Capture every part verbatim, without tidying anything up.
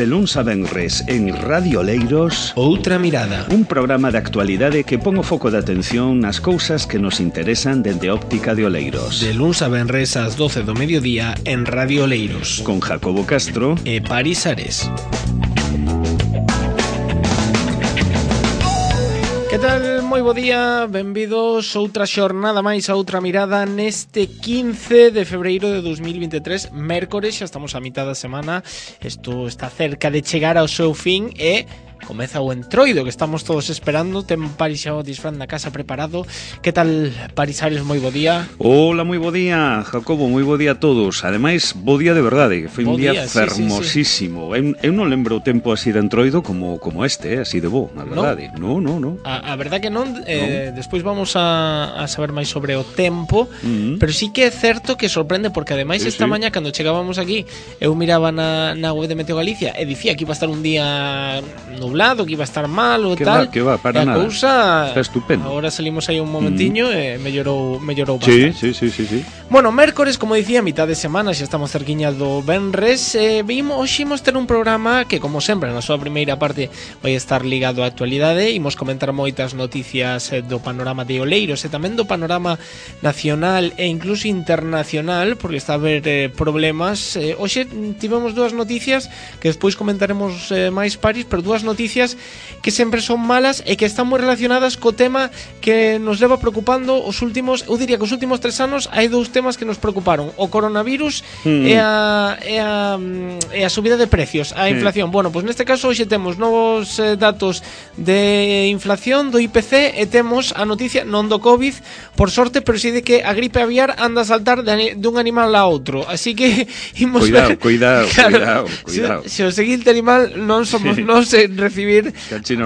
De luns a venres en Radio Oleiros, Outra Mirada, un programa de actualidade que pon o foco de atención nas cousas que nos interesan dende óptica de Oleiros. De luns a venres ás doce do mediodía en Radio Oleiros, con Jacobo Castro e Paris Ares. Que tal? Moi bo día, benvidos outra xornada máis a Outra Mirada neste quince de febreiro de dos mil vinte e tres, mércores, xa estamos a mitad da semana, isto está cerca de chegar ao seu fin e comeza o entroido que estamos todos esperando. Ten Paris xa o disfraz na casa preparado. Que tal, Paris Ares? Moi bo día. Hola, moi bo día, Jacobo, moi bo día a todos. Ademais, bo día de verdade, que foi un día, día fermosísimo. Sí, sí, sí. Eu, eu non lembro o tempo así de entroido como, como este, eh? Así de bo, na verdade. No, no, no. A, a verdade que non, eh, no. Despois vamos a, a saber máis sobre o tempo, uh-huh. Pero sí que é certo que sorprende, porque ademais sí, esta sí. mañá, cando chegábamos aquí, eu miraba na, na web de Meteo Galicia e dicía que iba a estar un día nublado, que iba a estar malo e tal. Va, que va, para e a nada. Cousa, está estupendo. Agora salimos aí un momentiño mm. e mellorou, mellorou bastante. Sí, sí, sí, sí, sí. Bueno, mércores, como dicía, mitad de semana, xa estamos cerquiña do venres. Eh, vimos, hoxe imos ter un programa que, como sempre, na súa primeira parte vai estar ligado á actualidade. Imos comentar moitas noticias eh, do panorama de Oleiros e tamén do panorama nacional e incluso internacional, porque está a haber eh, problemas. Eh, hoxe tivemos dúas noticias que despois comentaremos eh, máis, Paris, pero dúas noticias que sempre son malas e que están moi relacionadas co tema que nos leva preocupando os últimos, eu diría que os últimos tres anos hai dous temas que nos preocuparon: o coronavirus mm. e, a, e, a, e a subida de precios, a inflación. Sí. Bueno, pois pues neste caso hoxe temos novos eh, datos de inflación do I P C e temos a noticia non do COVID, por sorte, pero si de que a gripe aviar anda a saltar de, de un animal a outro. Así que imos cuidado, ver, cuidado, claro, cuidado, cuidado. Se, se o seguinte animal non somos sí. nós en recibir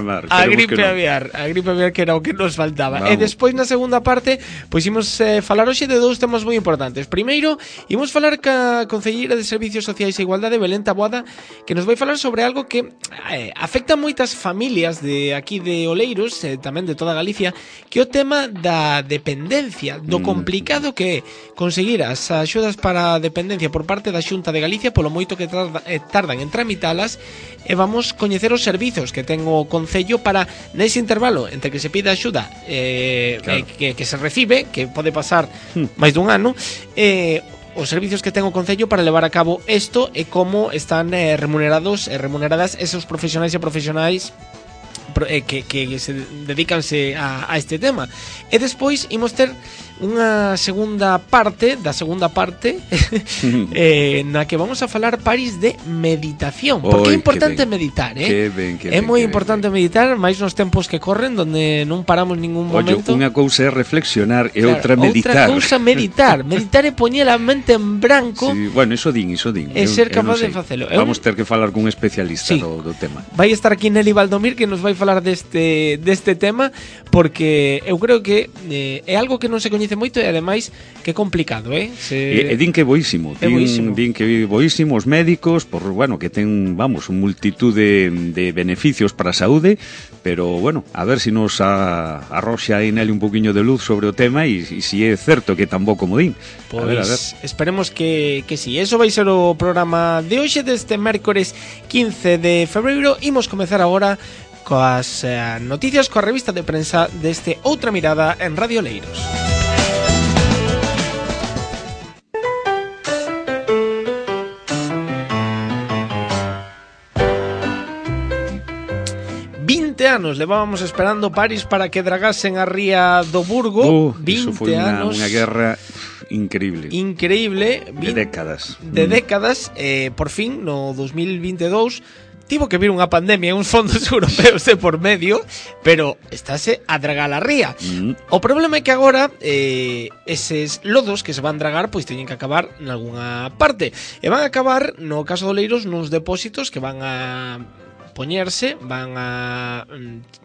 mar, a gripe no. aviar, a gripe aviar que era o que nos faltaba. Vamos. E despois na segunda parte, pois imos eh, falar hoxe de dous temas moi importantes. Primeiro, imos falar ca Concelleira de Servicios Sociais e Igualdade, Belén Taboada, que nos vai falar sobre algo que eh, afecta a moitas familias de aquí de Oleiros, eh, tamén de toda Galicia, que é o tema da dependencia, do mm. complicado que é conseguir as axudas para a dependencia por parte da Xunta de Galicia, polo moito que tarda, eh, tardan en tramitalas, e vamos coñecer os servizos que ten o Concello para, nese intervalo entre que se pide axuda eh, claro. eh, que, que se recibe, que pode pasar hmm. máis dun ano, eh, os servizos que ten o Concello para levar a cabo isto e como están eh, remunerados e remuneradas esos profesionais e profesionais que, que se dedicanse a, a este tema. E despois imos ter unha segunda parte da segunda parte eh, na que vamos a falar, Paris, de meditación, porque Oy, é importante meditar, eh? Que ben, que é ben, moi que importante ben. meditar, máis nos tempos que corren donde non paramos ningún momento. Ollo, unha cousa é reflexionar e claro, outra meditar. Outra cousa meditar, meditar é poñer a mente en branco. Sí, bueno, iso din, iso din. E ser capaz de facelo. Vamos ter que falar cun especialista sí. do, do tema. Vai estar aquí Nelly Valdomir, que nos vai falar deste deste tema, porque eu creo que eh, é algo que non se coñece moito e ademais que é complicado, eh? Se... E, e din que é boísimo, din, boísimo. din que é boísimo os médicos, por, bueno, que ten, vamos, un multitud de, de beneficios para a saúde, pero, bueno, a ver se si nos a, arroxa aí nele un poquinho de luz sobre o tema e, e se si é certo que tan bo como din. Pois, a ver, a ver. Esperemos que, que si. Sí. Eso vai ser o programa de hoxe, deste mércores quince de febreiro. Imos comezar agora coas eh, noticias, coa revista de prensa deste Outra Mirada en Radio Oleiros. vinte anos levábamos esperando, Paris, para que dragasen a ría do Burgo. Uh, vinte foi unha, anos. Unha guerra increíble. Increíble. De décadas. De mm. décadas. Eh, por fin, no dos mil vinte e dous, tivo que vir unha pandemia e uns fondos europeos de por medio, pero estáse a dragar a ría. Mm. O problema é que agora eh, eses lodos que se van dragar pois teñen que acabar nalgúna parte. E van a acabar, no caso de Oleiros, nos depósitos que van a poñerse, van a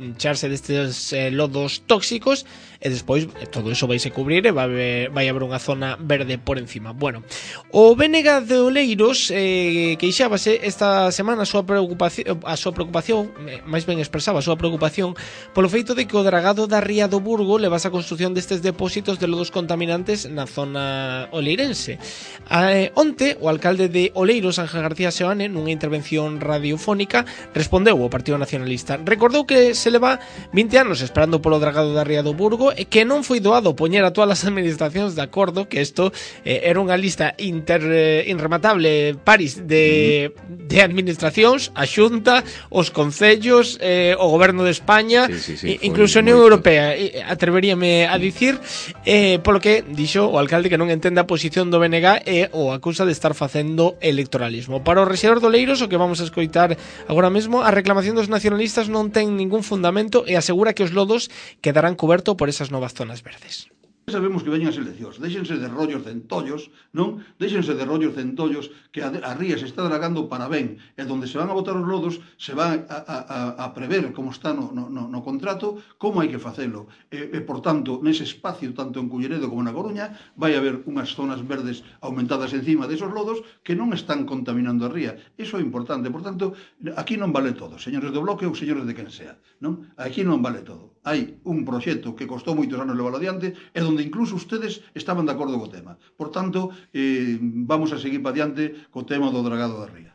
echarse destes eh, lodos tóxicos e despois todo eso vai se cubrir e vai haber, vai haber unha zona verde por encima. Bueno, o B N G de Oleiros eh, queixábase esta semana a súa preocupación, a súa preocupación, máis ben expresaba a súa preocupación polo feito de que o dragado da Ría do Burgo levase a construción destes depósitos de lodos contaminantes na zona oleirense. Eh, onte, o alcalde de Oleiros, Ángel García Seoane, nunha intervención radiofónica, respondeu ao Partido Nacionalista. Recordou que se leva vinte anos esperando polo dragado da Ría do Burgo e que non foi doado poñer a todas as administracións de acordo, que isto eh, era unha lista inter, eh, inrematable, Paris, de, de administracións, a Xunta, os concellos, eh, o goberno de España, sí, sí, sí, incluso a Unión Europea, atreveríame a dicir, eh, polo que dixo o alcalde que non entende a posición do B N G e o acusa de estar facendo electoralismo. Para o rexedor de Oleiros, o que vamos a escoitar agora mesmo, a reclamación dos nacionalistas non ten ningún fundamento e asegura que os lodos quedarán cobertos por esas novas zonas verdes. Sabemos que veñen as eleccións, déxense de rollos centollos, non? Déxense de rollos centollos que a, a ría se está dragando para ben, e donde se van a botar os lodos se van a, a, a prever como está no, no, no contrato, como hai que facelo. E, e, por tanto, nese espacio, tanto en Culleredo como na Coruña, vai haber unhas zonas verdes aumentadas encima desos lodos que non están contaminando a ría. Iso é importante. Por tanto, aquí non vale todo, señores do Bloque ou señores de quen sea, non? Aquí non vale todo. Hai un proxecto que costou moitos anos levar adiante e donde incluso ustedes estaban de acordo co tema. Por tanto, eh, vamos a seguir para diante co tema do dragado da ría.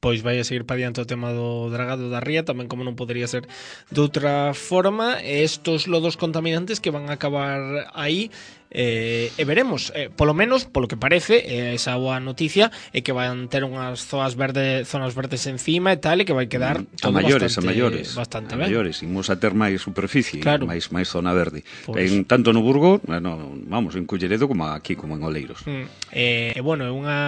Pois vai a seguir para diante o tema do dragado da ría, tamén como non podería ser de outra forma, estos lodos contaminantes que van a acabar aí. Eh, e veremos, eh, polo menos polo que parece, eh, esa boa noticia é que van ter unhas zonas verdes, zonas verdes encima e tal, e que vai quedar mm, todo a maiores, bastante, a maiores, bastante a maiores, imos a ter máis superficie, claro. máis máis zona verde. Pues, en tanto no Burgo, bueno, vamos, en Culleredo como aquí como en Oleiros. Mm, e eh, bueno, é unha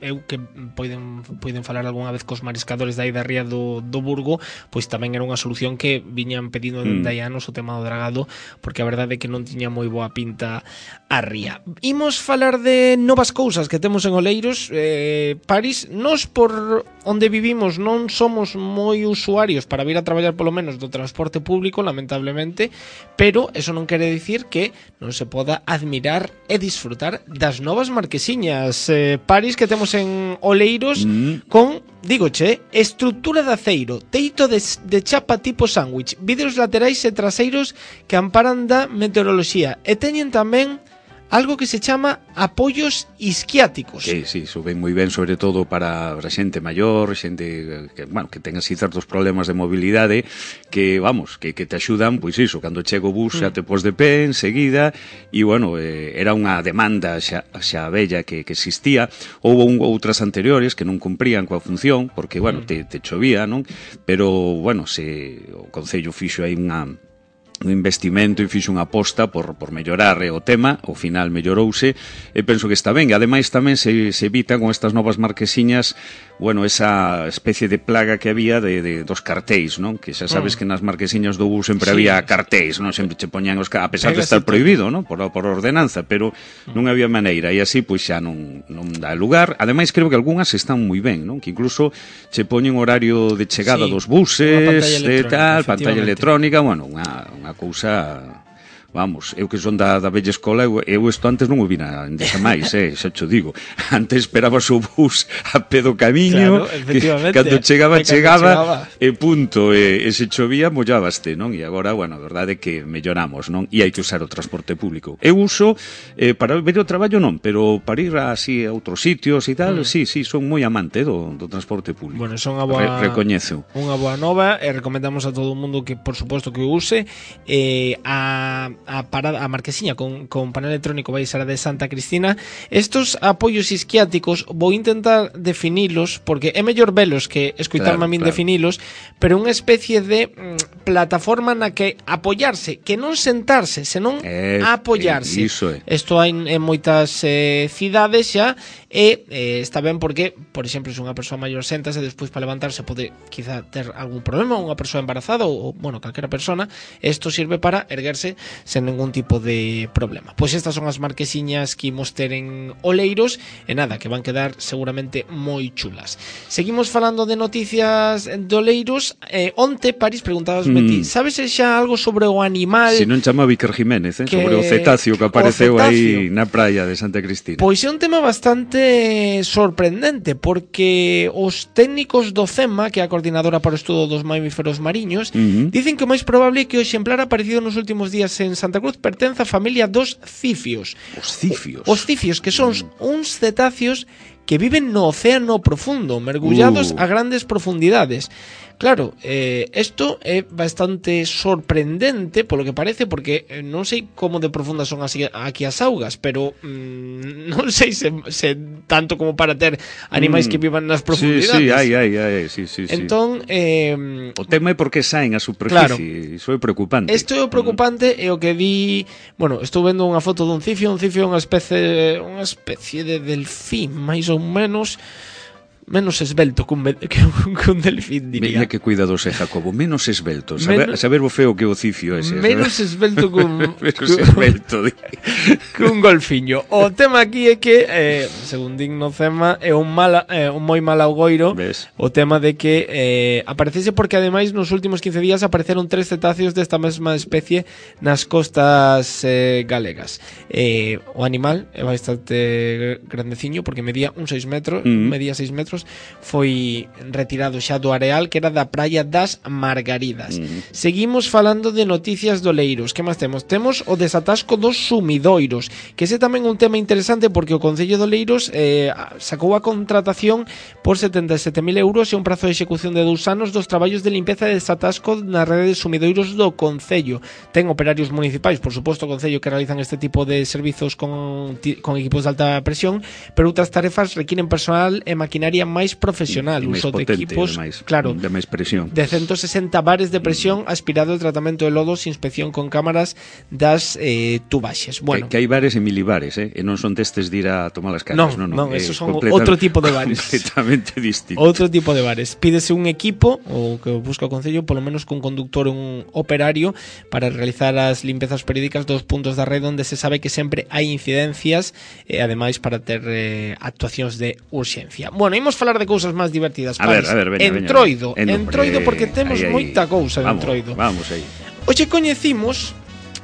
eu que poden poden falar algunha vez cos mariscadores da da ría do, do Burgo, pois tamén era unha solución que viñan pedindo mm. de anos o tema do dragado, porque a verdade é que non tiña moi boa pinta a ría. Imos falar de novas cousas que temos en Oleiros, eh, París. Nos por onde vivimos non somos moi usuarios para vir a traballar polo menos do transporte público, lamentablemente, pero eso non quere dicir que non se poda admirar e disfrutar das novas marquesiñas, eh, París, que temos en Oleiros, mm. con, dígoche, estrutura de aceiro, teito de, de chapa tipo sándwich, vidros laterais e traseiros que amparan da meteoroloxía, e teñen tamén algo que se chama apoios isquiáticos. Sí, sí, iso ven moi ben, sobre todo para a xente maior, xente que, bueno, que ten así certos problemas de mobilidade, que, vamos, que, que te axudan, pois iso, cando chega o bus xa te pos de pé enseguida, e, bueno, eh, era unha demanda xa, xa bella que, que existía. Houve un, outras anteriores que non cumprían coa función, porque, bueno, te, te chovía, non? Pero, bueno, se o Concello fixo aí unha un investimento e fixo unha aposta por, por mellorar o tema, ao final mellorouse, e penso que está ben. E ademais tamén se, se evita con estas novas marquesiñas, bueno, esa especie de plaga que había de, de dos cartéis, non? Que xa sabes mm. que nas marquesiñas do bus sempre sí. había cartéis, non? Sempre che poñan os cartéis, a pesar de estar prohibido, non? Por, por ordenanza, pero mm. non había maneira, e así pois xa non, non dá lugar. Ademais creo que algunhas están moi ben, non? Que incluso che poñen horario de chegada sí. dos buses, de tal, pantalla electrónica, bueno, unha, unha cousa, vamos, eu que son da, da bella escola, eu, eu isto antes non o vina desa máis, eh, xa te digo. Antes esperabas o bus a pé do camiño, claro, efectivamente, que cando chegaba, cando chegaba, chegaba, e punto, e, e se chovía, mollabaste, non? E agora, bueno, a verdade é que melloramos, non? E hai que usar o transporte público. Eu uso, eh, para ver o traballo non, pero para ir así a outros sitios e tal, mm. sí, sí, son moi amante do, do transporte público. Bueno, son unha boa, Re, recoñezo. Unha boa nova, e recomendamos a todo o mundo que, por suposto, que o use. Eh, a a parada, a marquesiña con, con panel electrónico vai ser a de Santa Cristina. Estos apoios isquiáticos vou intentar definilos, porque é mellor velos que escoitarme claro, a min claro. definilos, pero unha especie de mm, plataforma na que apoiarse, que non sentarse, senón eh, apoiarse. Iso é. Isto hai en moitas eh, cidades xa, e eh, está ben porque, por exemplo, se unha persoa maior séntase, despois para levantarse pode quizá ter algún problema, unha persoa embarazada ou, bueno, calquera persona, isto sirve para erguerse sen ningún tipo de problema. Pois estas son as marquesiñas que imos ter en Oleiros, e nada, que van quedar seguramente moi chulas. Seguimos falando de noticias de Oleiros. eh, onte, Paris, preguntabas mm. ti, sabes xa algo sobre o animal? Si non chama Víctor Jiménez, eh? que... sobre o cetáceo que apareceu aí na praia de Santa Cristina. Pois é un tema bastante sorprendente, porque os técnicos do CEMA, que é a Coordinadora para o Estudo dos Mamíferos Mariños, uh-huh. dicen que o máis probable é que o exemplar aparecido nos últimos días en Santa Cruz pertence á familia dos cifios. Os cifios? Os cifios, que son mm. uns cetáceos que viven no océano profundo, mergullados uh. a grandes profundidades. Claro, eh, esto é bastante sorprendente polo que parece, porque eh, non sei como de profundas son así, aquí as augas, pero mm, non sei se, se tanto como para ter animais mm. que vivan nas profundidades. Sí, sí, hai, hai, hai, sí, sí, entón, eh, o tema é porque saen a superficie, claro, iso é preocupante. Isto é o preocupante, mm. é o que di, bueno, estou vendo unha foto dun cifio, un cifio é unha especie, unha especie de delfín, máis ou menos menos esbelto que un, que un, que un delfín, diría. Mira que cuidados é, Jacobo, menos esbelto. Saber, menos, saber o feo que o cifio ese. Menos ¿sabes? Esbelto que un... menos esbelto. Que un golfiño. O tema aquí é que, eh, según digno Cema, é un, mala, eh, un moi mal augoiro. ¿Ves? O tema de que eh, aparecese porque, ademais, nos últimos quince días apareceron tres cetáceos desta mesma especie nas costas eh, galegas. Eh, o animal é bastante grandeciño porque medía un seis metros, mm. medía seis metros, foi retirado xa do areal que era da praia das Margaridas. Mm. Seguimos falando de noticias de Oleiros. Que máis temos? Temos o desatasco dos sumidoiros, que ese tamén é un tema interesante porque o Concello de Oleiros eh, sacou a contratación por setenta e sete mil euros e un prazo de execución de dous anos dos traballos de limpeza e desatasco na rede de sumidoiros do Concello. Ten operarios municipais, por suposto, o Concello, que realizan este tipo de servizos con, con equipos de alta presión, pero outras tarefas requiren personal e maquinaria máis profesional, uso de equipos, de máis, claro, de máis presión, de ciento sesenta bares de presión, aspirado, tratamento de lodos, inspección con cámaras das eh, tubaxes. Bueno, que, que hai bares e milibares, eh? e non son testes de ir a tomar as caras, non, non, non, esos son outro tipo de bares, completamente distinto. Outro tipo de bares. Pídese un equipo, o que busca o Concello, polo menos cun conductor, un operario, para realizar as limpezas periódicas dos puntos da rede onde se sabe que sempre hai incidencias, e ademais para ter eh, actuacións de urxencia. Bueno, imos falar de cousas máis divertidas. A ver, a ver, veña, Entroido, veña, Entroido, porque temos ahí, ahí. moita cousa de vamos, Entroido. Vamos aí. Hoxe coñecimos,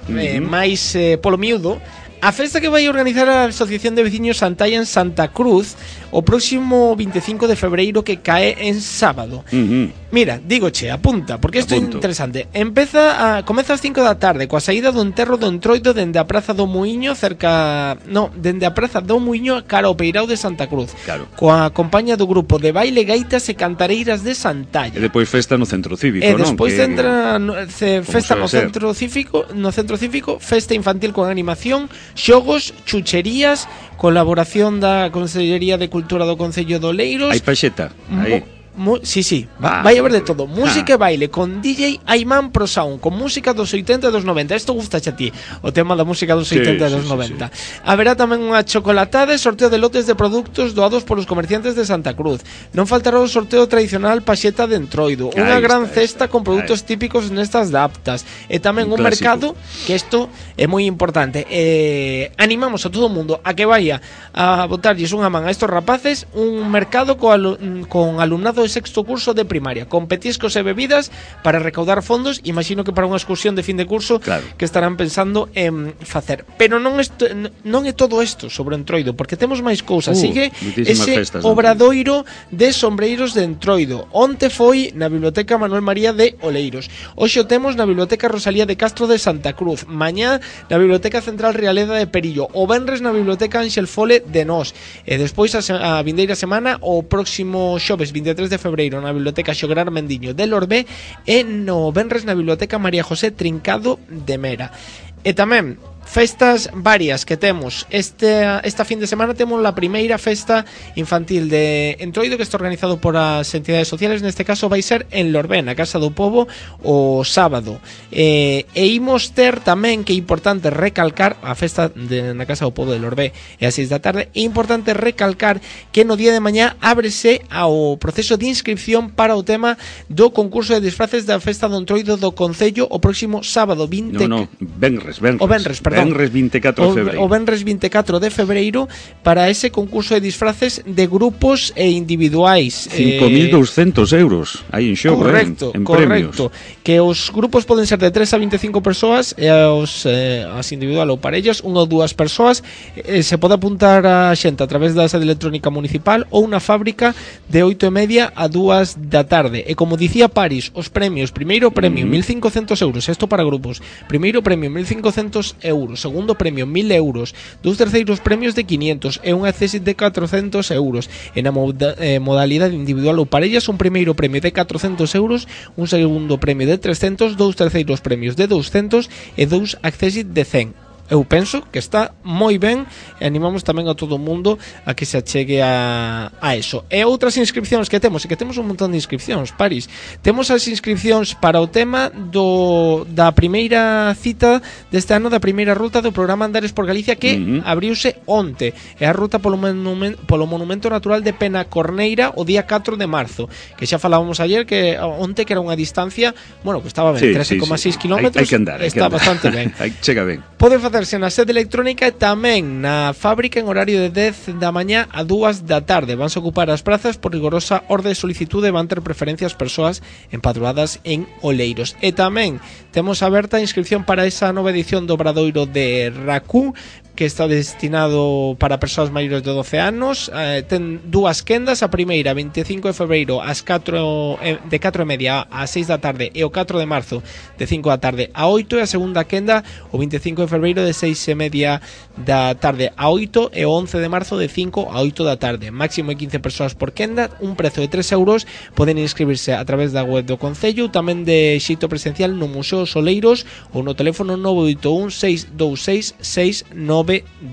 uh-huh. eh, máis eh, polo miúdo, a festa que vai organizar a Asociación de Veciños Santalla en Santa Cruz o próximo veinticinco de febreiro, que cae en sábado. Uh-huh. Mira, dígoche, apunta, porque isto é interesante. Empeza a, comeza ás cinco da tarde coa saída do enterro do Entroido dende a Praza do Muiño, cerca, no, dende a Praza do Muiño cara ao Peirao de Santa Cruz. Claro. Coa compañía do grupo de baile, gaitas e cantareiras de Santalla. E depois festa no centro cívico, e non? E despois que... entra no, ce, festa no centro cívico, no centro cívico, festa infantil con animación, xogos, chucherías, colaboración da Consellería de Cultura do Concello de Oleiros. Hai paxeta, aí. Mu- sí, sí, va, Ah, vai haber de todo. Música ah. e baile con D J Ayman Pro Sound, con música dos oitenta e dos noventa. Isto gusta a ti, o tema da música dos oitenta e dos sí, noventa. sí, sí. Haberá tamén unha chocolatada e sorteo de lotes de produtos doados polos comerciantes de Santa Cruz. Non faltará o sorteo tradicional paxeta de Entroido, Ahí unha está, gran está, cesta con produtos ahí. típicos nestas daptas, e tamén un, Un mercado, que isto é moi importante. Eh, animamos a todo o mundo a que vaya a botarlles unha man a estos rapaces, un mercado co alu- con alumnado de sexto curso de primaria, con petiscos e bebidas para recaudar fondos, imagino que para unha excursión de fin de curso, claro, que estarán pensando en facer. Pero non esto, non é todo isto sobre Entroido, porque temos máis cousas. Uh, Sigue ese festas, obradoiro de sombreiros de Entroido. Onte foi na Biblioteca Manuel María de Oleiros. Hoxe o temos na Biblioteca Rosalía de Castro de Santa Cruz. Mañá na Biblioteca Central Realeda de Perillo. O venres na Biblioteca Ángel Fole de Nós. E despois a, se- a vindeira semana, o próximo xoves vinte e tres de febreiro, na Biblioteca Xogar Mendiño de Lorbé, e no venres na Biblioteca María José Trincado de Mera. E tamén festas varias que temos este, esta fin de semana. Temos la primeira festa infantil de Entroido, que está organizado por as entidades sociales. Neste caso vai ser en Lorbé, na Casa do Pobo, o sábado. eh, e imos ter tamén, que é importante recalcar, a festa de, na Casa do Pobo de Lorbé é a seis da tarde. É importante recalcar que no día de mañá ábrese ao proceso de inscripción para o tema do concurso de disfraces da festa do Entroido do Concello o próximo sábado vinte... No, no, Benres, Benres. O Benres, perdón. Benres veinticuatro de febreiro. O, o Benres veinticuatro de febreiro para ese concurso de disfraces de grupos e individuais. cinco mil doscientos euros aí en xogo, correcto, eh, en correcto. premios. Que os grupos poden ser de tres a veinticinco persoas e os, eh, as individual ou parellas, unha ou dúas persoas. eh, se pode apuntar a xente a través da sede electrónica municipal ou na fábrica de oito e media a dúas da tarde. E como dicía Paris, os premios: primeiro premio mm. mil cincocentos euros, isto para grupos. Primeiro premio mil cincocentos euros, segundo premio mil euros, dous terceiros premios de quinientos e un accessit de catrocentos euros. En a moda, eh, modalidade individual ou parellas, un primeiro premio de catrocentos euros, un segundo premio de trescentos, dous terceiros premios de doscientos e dous accessit de cen. Eu penso que está moi ben e animamos tamén a todo o mundo a que se achegue a, a eso. E outras inscripcións que temos, e que temos un montón de inscripcións, Paris. Temos as inscripcións para o tema do da primeira cita deste ano, da primeira ruta do programa Andares por Galicia, que uh-huh. abriuse onte. É a ruta polo, monumen, polo Monumento Natural de Penacorneira o día catro de marzo, que xa falábamos ayer que onte que era unha distancia, bueno, que estaba ben, sí, trece coma seis sí, sí. kilómetros. Hai, hai que andar, hai está que andar. Bastante ben. Chega ben. Pode facerse na sede electrónica e tamén na fábrica en horario de dez da mañá a dúas da tarde. Vanse ocupar as prazas por rigorosa orde de solicitude e van ter preferencias persoas empadroadas en Oleiros. E tamén temos aberta a inscripción para esa nova edición do Obradoiro de Racú, que está destinado para persoas maiores de doce anos. Eh, ten dúas quendas, a primeira veinticinco de febreiro ás catro, eh, de catro e media ás seis da tarde e o catro de marzo de cinco da tarde a oito, e a segunda quenda o veinticinco de febreiro de seis e media da tarde a oito e o once de marzo de cinco a oito da tarde. Máximo de quince persoas por quenda, un prezo de tres euros. Poden inscribirse a través da web do Concello, tamén de xeito presencial no Museo Soleiros ou no teléfono nove oito un seis dous seis seis nove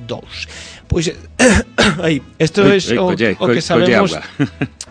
dous. Pois aí, isto é o, o que sabemos.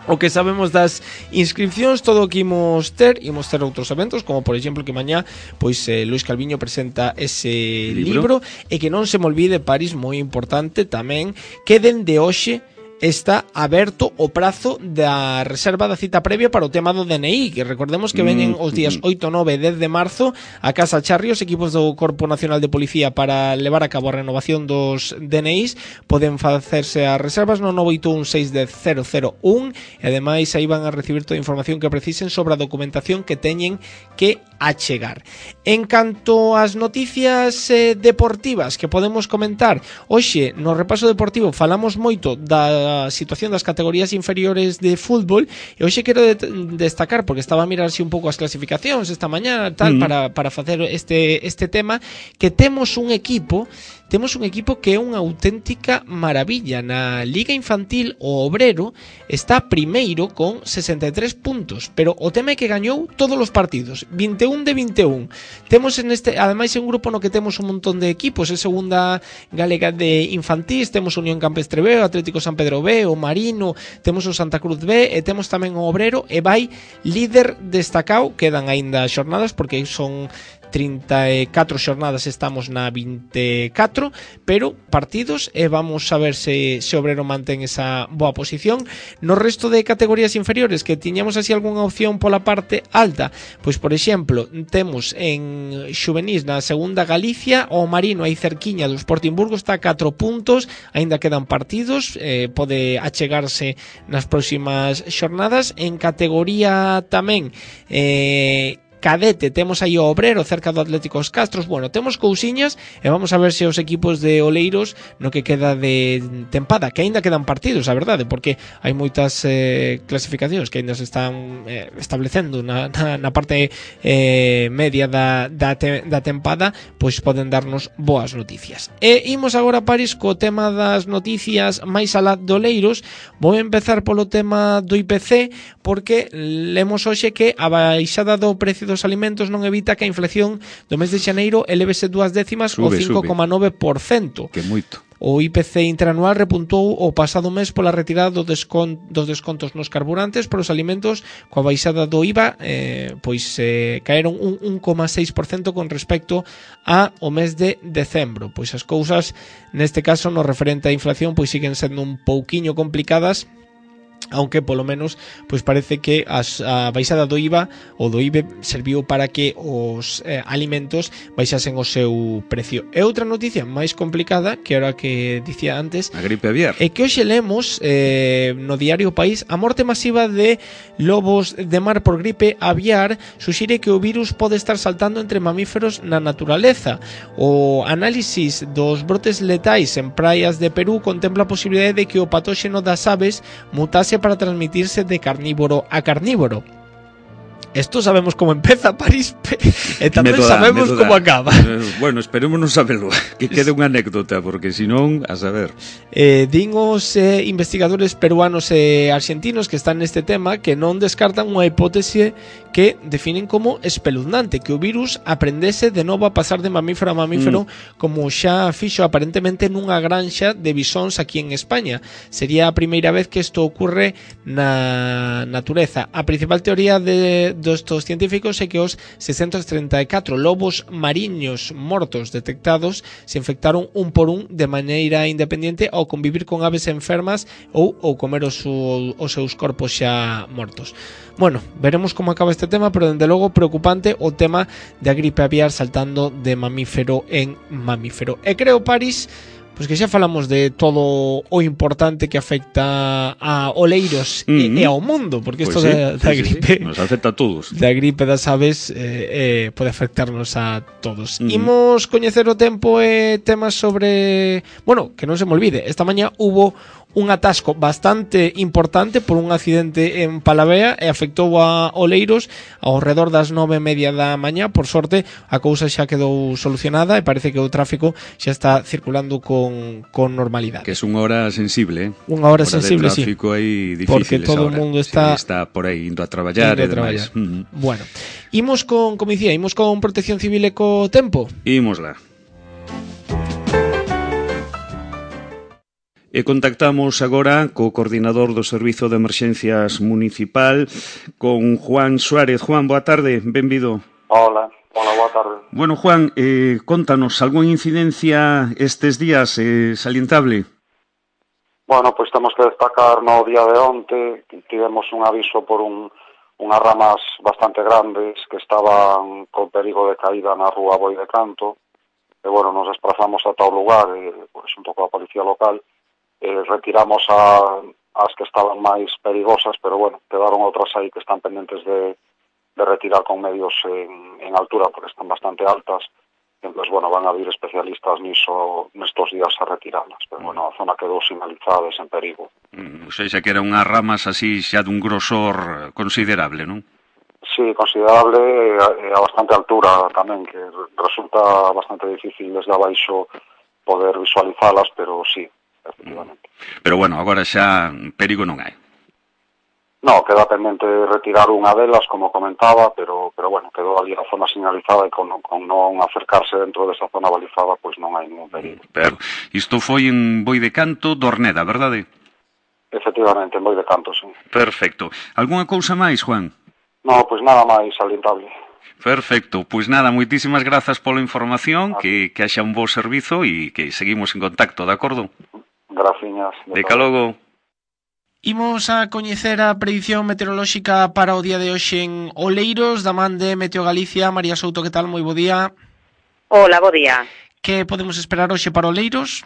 O que sabemos das inscripcións. Todo o que imos ter, imos ter outros eventos, como por exemplo que mañá pois eh, Luis Calviño presenta ese libro. libro e que non se me olvide, Paris, moi importante tamén, que dende hoxe está aberto o prazo da reserva da cita previa para o tema do D N I, que recordemos que veñen os días oito, nove e dez de marzo a Casa Charri os equipos do Corpo Nacional de Policía para levar a cabo a renovación dos D N Is. Poden facerse as reservas no nove oito un seis cero cero cero un e ademais aí van a recibir toda a información que precisen sobre a documentación que teñen que achegar. En canto ás noticias eh, deportivas que podemos comentar, hoxe no repaso deportivo falamos moito da a situación das categorías inferiores de fútbol, e hoxe quero de destacar, porque estaba a mirar así un pouco as clasificacións esta mañá tal, mm. para, para facer este, este tema, que temos un equipo temos un equipo que é unha auténtica maravilla. Na Liga Infantil o Obrero está primeiro con sesenta e tres puntos, pero o tema é que gañou todos os partidos, vinte e un de vinte e un. Temos en este, ademais, un grupo no que temos un montón de equipos, é segunda galega de infantís, temos Unión Campestre B, o Atlético San Pedro B, o Marino, temos o Santa Cruz B, e temos tamén o Obrero, e vai líder destacado. Quedan aínda xornadas porque son trinta e catro xornadas, estamos na vinte e catro, pero partidos, e vamos a ver se, se Obrero mantén esa boa posición. No resto de categorías inferiores que tiñamos así algunha opción pola parte alta, pois por exemplo temos en xuvenís na segunda Galicia o Marino aí cerquiña do Sportingburgo, está a catro puntos, aínda quedan partidos, eh, pode achegarse nas próximas xornadas. En categoría tamén eh, cadete temos aí o Obrero cerca do Atlético Os Castros. Bueno, temos cousiñas e vamos a ver se os equipos de Oleiros no que queda de tempada, que aínda quedan partidos, a verdade, porque hai moitas eh, clasificacións que aínda se están eh, establecendo na, na, na parte eh, media da, da, te, da tempada, pois poden darnos boas noticias. E imos agora, Paris, co tema das noticias máis alá de Oleiros. Vou empezar polo tema do I P C, porque lemos hoxe que a baixada do precio dos alimentos non evita que a inflación do mes de xaneiro elevese dúas décimas sube, o cinco coma nove por cento. Que moito. O I P C interanual repuntou o pasado mes pola retirada do descon, dos descontos nos carburantes por os alimentos coa baixada do I V A, eh, pois eh, caeron un un coma seis por cento con respecto a o mes de decembro. Pois as cousas neste caso no referente á inflación pois siguen sendo un pouquiño complicadas, aunque polo menos pois parece que as, a baixada do I V A ou do I B E serviu para que os eh, alimentos baixasen o seu precio. E outra noticia máis complicada, que era que dicía antes, a gripe aviar, é que hoxe lemos eh, no diario País a morte masiva de lobos de mar por gripe aviar suxire que o virus pode estar saltando entre mamíferos na naturaleza. O análisis dos brotes letais en praias de Perú contempla a posibilidade de que o patóxeno das aves mutase para transmitirse de carnívoro a carnívoro. Esto sabemos como empeza, París, e tamén da, sabemos como acaba. Eh, bueno, esperémonos saberlo, que quede unha anécdota, porque senón, a saber. Eh, din os eh, investigadores peruanos e argentinos que están neste tema que non descartan unha hipótese que definen como espeluznante, que o virus aprendese de novo a pasar de mamífero a mamífero, mm. como xa fixo aparentemente nunha granxa de bisóns aquí en España. Sería a primeira vez que isto ocurre na natureza. A principal teoría de destos científicos é que os seiscentos treinta e catro lobos mariños mortos detectados se infectaron un por un de maneira independiente ao convivir con aves enfermas ou, ou comer os, os seus corpos xa mortos. Bueno, veremos como acaba este tema, pero dende logo preocupante o tema da gripe aviar saltando de mamífero en mamífero. E creo, París, pois que xa falamos de todo o importante que afecta a oleiros mm-hmm. e, e ao mundo, porque isto pues sí, da, da sí, gripe sí, nos afecta a todos. Da gripe das aves eh, eh, pode afectarnos a todos. Mm-hmm. Imos coñecer o tempo e temas sobre, bueno, que non se me olvide, esta mañá hubo un atasco bastante importante por un accidente en Palavea e afectou a oleiros ao redor das nove e media da mañá. Por sorte, a cousa xa quedou solucionada e parece que o tráfico xa está circulando con, con normalidade. Que é unha hora sensible, eh? Unha hora, hora sensible, sí. O tráfico aí difícil. Porque todo o mundo está... Sí, está por aí indo a traballar e demais. Uh-huh. Bueno, imos con, como dicía, imos con Protección Civil e co tempo. Imos lá. E contactamos agora co coordinador do Servizo de Emerxencias Municipal, con Juan Suárez. Juan, boa tarde, benvido. Hola, hola, boa tarde. Bueno, Juan, eh, contanos, algunha incidencia estes días eh, salientable? Bueno, pois temos que destacar no día de onte, tivemos un aviso por un, unhas ramas bastante grandes que estaban con perigo de caída na rúa Boi de Canto, e bueno, nos desplazamos ata o lugar, e, pois, xunto coa policía local, Eh, retiramos a, as que estaban máis perigosas, pero bueno, quedaron outras aí que están pendentes de, de retirar con medios en, en altura, porque están bastante altas. Entón, bueno, van a vir especialistas niso nestos días a retirarlas, pero bueno, a zona quedou sinalizada e sen perigo. Mm, ou seja, que eran unhas ramas así xa dun grosor considerable, non? Sí, considerable e a bastante altura tamén, que resulta bastante difícil desde abaixo poder visualizalas, pero sí, efectivamente. Pero bueno, agora xa perigo non hai. No, queda pendente retirar unha delas, como comentaba, pero pero bueno, quedou ali a zona sinalizada e con, con non acercarse dentro desa zona balizada, pois non hai ningún perigo. Pero isto foi en Boi de Canto, Dorneda, verdade? Efectivamente, en Boi de Canto, sí. Perfecto. Algúnha cousa máis, Juan? No, pois nada máis salientable. Perfecto, pois nada, moitísimas grazas pola información, que, que haxa un bo servizo e que seguimos en contacto, de acordo? Graciñas. De logo. Imos a coñecer a predición meteorolóxica para o día de hoxe en Oleiros, da man de Meteo Galicia. María Souto, que tal? Moi bo día. Hola, bo día. Que podemos esperar hoxe para Oleiros?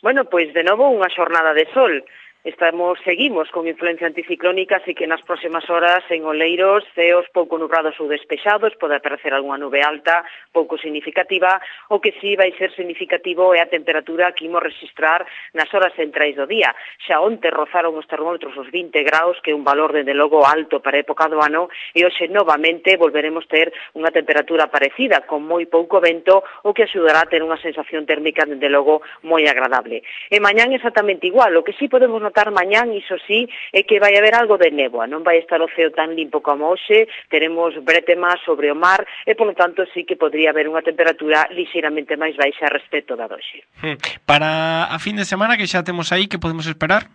Bueno, pois de novo unha xornada de sol. Estamos, seguimos con influencia anticiclónica, así que nas próximas horas en Oleiros, ceos pouco nubrados ou despexados, pode aparecer algunha nube alta, pouco significativa, o que sí vai ser significativo é a temperatura que imos registrar nas horas centrais do día. Xa onte rozaron os termómetros os vinte graus, que é un valor, dende logo, alto para a época do ano, e hoxe novamente volveremos ter unha temperatura parecida, con moi pouco vento, o que axudará a ter unha sensación térmica, dende logo, moi agradable. E mañán exactamente igual, o que sí podemos notar mañán, iso sí, é que vai haber algo de néboa, non vai estar o ceo tan limpo como hoxe, teremos brétemas sobre o mar e, polo tanto, sí que podría haber unha temperatura lixeiramente máis baixa respecto da doxe. Para a fin de semana que xa temos aí, que podemos esperar?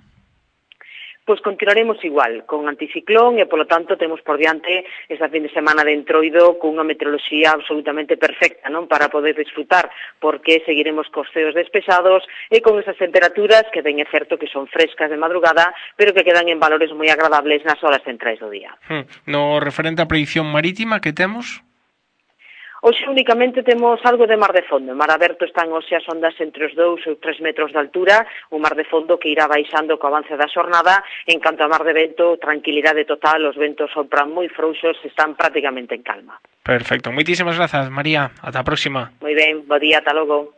Pois continuaremos igual, con anticiclón e, polo tanto, temos por diante esta fin de semana de entroido con unha meteoroloxía absolutamente perfecta, non, para poder disfrutar, porque seguiremos cos ceos despejados e con esas temperaturas que ben é certo que son frescas de madrugada, pero que quedan en valores moi agradables nas horas centrais do día. No referente á predicción marítima que temos? Hoxe únicamente temos algo de mar de fondo. En mar aberto están hoxe as ondas entre os dous ou tres metros de altura, un mar de fondo que irá baixando co avance da xornada. En canto a mar de vento, tranquilidade total, os ventos sopran moi frouxos, están prácticamente en calma. Perfecto, moitísimas grazas, María. Ata a próxima. Moi ben, bo día, ata logo.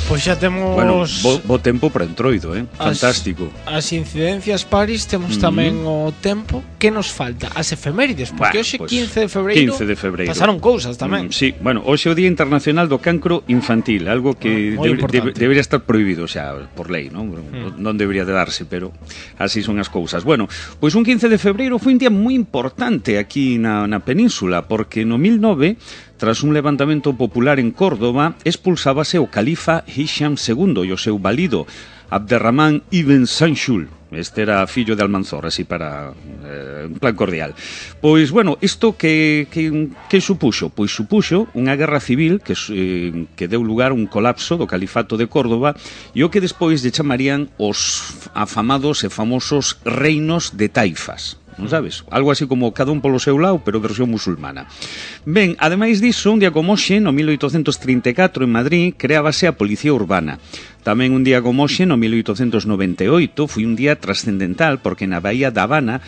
Pois xa temos... Bueno, bo, bo tempo para entroido, eh? Fantástico. As, as incidencias paris, temos mm. tamén o tempo. Que nos falta? As efemérides, porque bueno, hoxe pues, quince de febreiro, quince de febreiro pasaron cousas tamén. Mm, sí, bueno, hoxe é o Día Internacional do Cancro Infantil, algo que ah, debe, debe, debería estar prohibido xa por lei, non? Mm. Non debería de darse, pero así son as cousas. Bueno, pois un quince de febreiro foi un día moi importante aquí na, na península, porque no mil nove, tras un levantamento popular en Córdoba, expulsábase o califa Hisham segundo e o seu valido Abderramán ibn Sanchul. Este era fillo de Almanzor, así para eh, un plan cordial. Pois, bueno, isto que, que, que supuxo? Pois supuxo unha guerra civil que, eh, que deu lugar a un colapso do califato de Córdoba e o que despois lle chamarían os afamados e famosos reinos de taifas. Non sabes? Algo así como cada un polo seu lado, pero versión musulmana. Ben, ademais diso, un día como hoxe, no mil oitocentos trinta e catro en Madrid, creábase a Policía Urbana. Tamén un día como hoxe, no mil oitocentos noventa e oito, foi un día trascendental porque na Bahía da Habana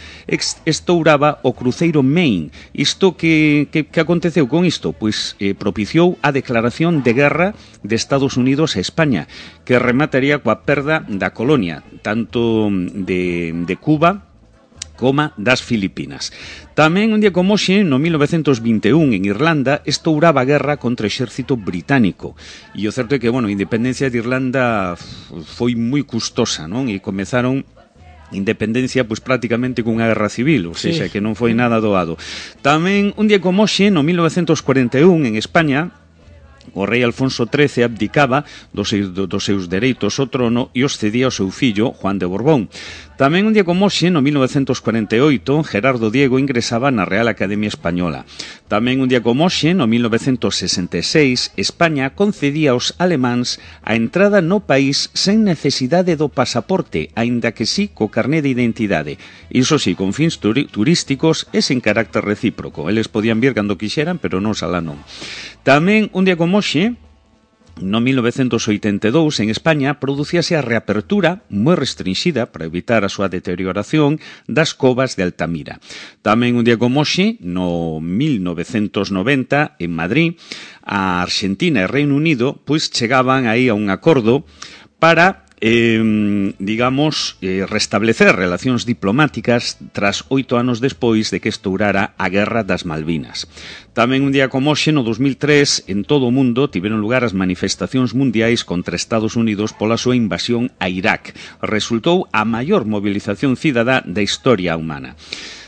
estouraba o cruceiro Maine. Isto que, que, que aconteceu con isto? Pois eh, propiciou a declaración de guerra de Estados Unidos a España, que remataría coa perda da colonia, tanto de, de Cuba como das Filipinas. Tamén un día como hoxe, no mil novecentos vinte e un, en Irlanda, estouraba a guerra contra o exército británico. E o certo é que, bueno, a independencia de Irlanda foi moi custosa, non? E comezaron independencia pois prácticamente cunha guerra civil, ou seja, sí, que non foi nada doado. Tamén un día como hoxe, no mil novecentos cuarenta e un, en España, o rei Alfonso trece abdicaba dos seus, dos seus dereitos ao trono e os cedía ao seu fillo, Juan de Borbón. Tamén un día como hoxe, no mil novecentos cuarenta e oito, Gerardo Diego ingresaba na Real Academia Española. Tamén un día como hoxe, no mil novecentos sesenta e seis, España concedía aos alemáns a entrada no país sen necesidade do pasaporte, aínda que sí co carné de identidade. Iso sí, con fins turi- turísticos e sen carácter recíproco. Eles podían vir cando quixeran, pero non alá non. Tamén un día como hoxe, no mil novecentos oitenta e dous, en España, producíase a reapertura moi restringida para evitar a súa deterioración das covas de Altamira. Tamén un día como hoxe, no mil novecentos noventa, en Madrid, a Argentina e Reino Unido pois chegaban aí a un acordo para Eh, digamos, eh, restablecer relacións diplomáticas tras oito anos despois de que estourara a Guerra das Malvinas. Tamén un día como hoxe, no dos mil tres, en todo o mundo tiveron lugar as manifestacións mundiais contra Estados Unidos pola súa invasión a Irak. Resultou a maior movilización cidadá da historia humana.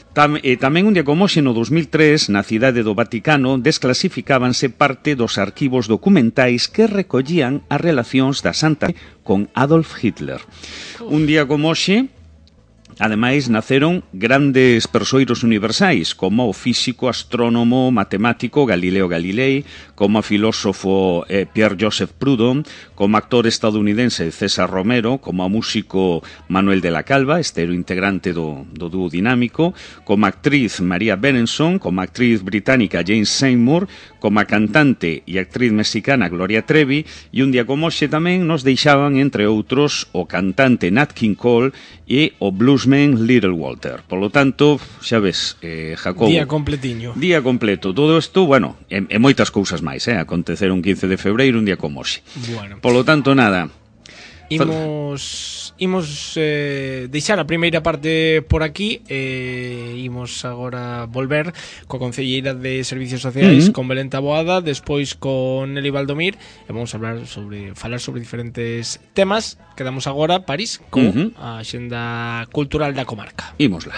Tam, e tamén un día como hoxe, no dos mil tres, na cidade do Vaticano, desclasificábanse parte dos arquivos documentais que recollían as relacións da Santa con Adolf Hitler. Un día como hoxe, ademais, naceron grandes persoeiros universais, como o físico, astrónomo, matemático Galileo Galilei, como o filósofo eh, Pierre-Joseph Proudhon, como actor estadounidense César Romero, como o músico Manuel de la Calva, estero integrante do, do dúo dinámico, como actriz María Berenson, como actriz británica Jane Seymour, como a cantante e actriz mexicana Gloria Trevi, e un día como hoxe tamén nos deixaban, entre outros, o cantante Nat King Cole e o bluesman Little Walter. Por lo tanto, xa ves, eh, Jacobo, día completiño. Día completo. Todo isto, bueno, e, e moitas cousas máis, eh? Aconteceron quince de febreiro, un día como hoxe. Bueno. Por lo tanto, nada. Imos imos eh, deixar a primeira parte por aquí e eh, imos agora volver coa concelleira de Servicios Sociais, uh -huh. con Belén Taboada, despois con Nelly Valdomir, e vamos a hablar sobre falar sobre diferentes temas. Quedamos agora, París, con uh -huh. a axenda cultural da comarca. Ímosla.